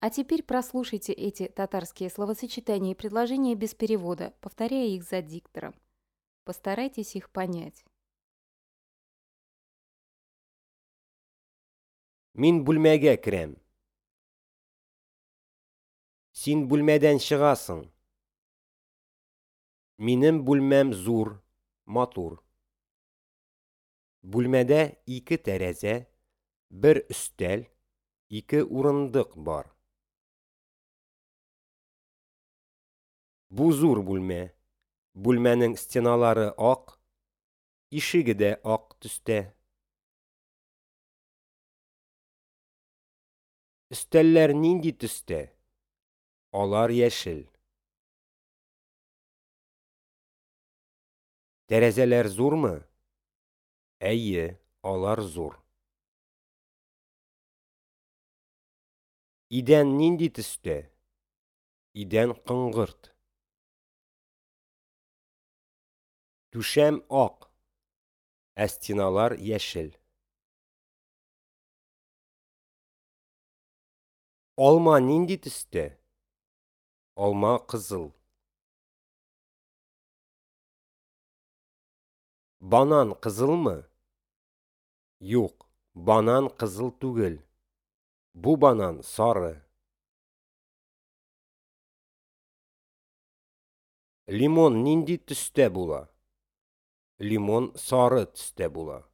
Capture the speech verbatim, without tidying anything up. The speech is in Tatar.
А теперь прослушайте эти татарские словосочетания и предложения без перевода, повторяя их за диктором. Постарайтесь их понять. Мин бүлмәгә керәм. Син бүлмәдән чыгасың. Минем бүлмәм зур, матур. Бүлмәдә ике тәрәзә, бер өстәл, ике урындык бар. Бу зур бүлмә. Бүлмәнең стеналары ак, ишеге дә ак төстә. Өстәлләр нинди төстә? Алар яшел. Тәрәзәләр зурмы? Әйе, алар зур. Идән нинди төстә? Идән коңгырт. Түшәм ак, ә стеналар яшел. Алма нинди төстә? Алма кызыл. Банан кызылмы? Юк, банан кызыл түгел. Бу банан сары. Лимон нинди төстә була? Лимон сары төстә була.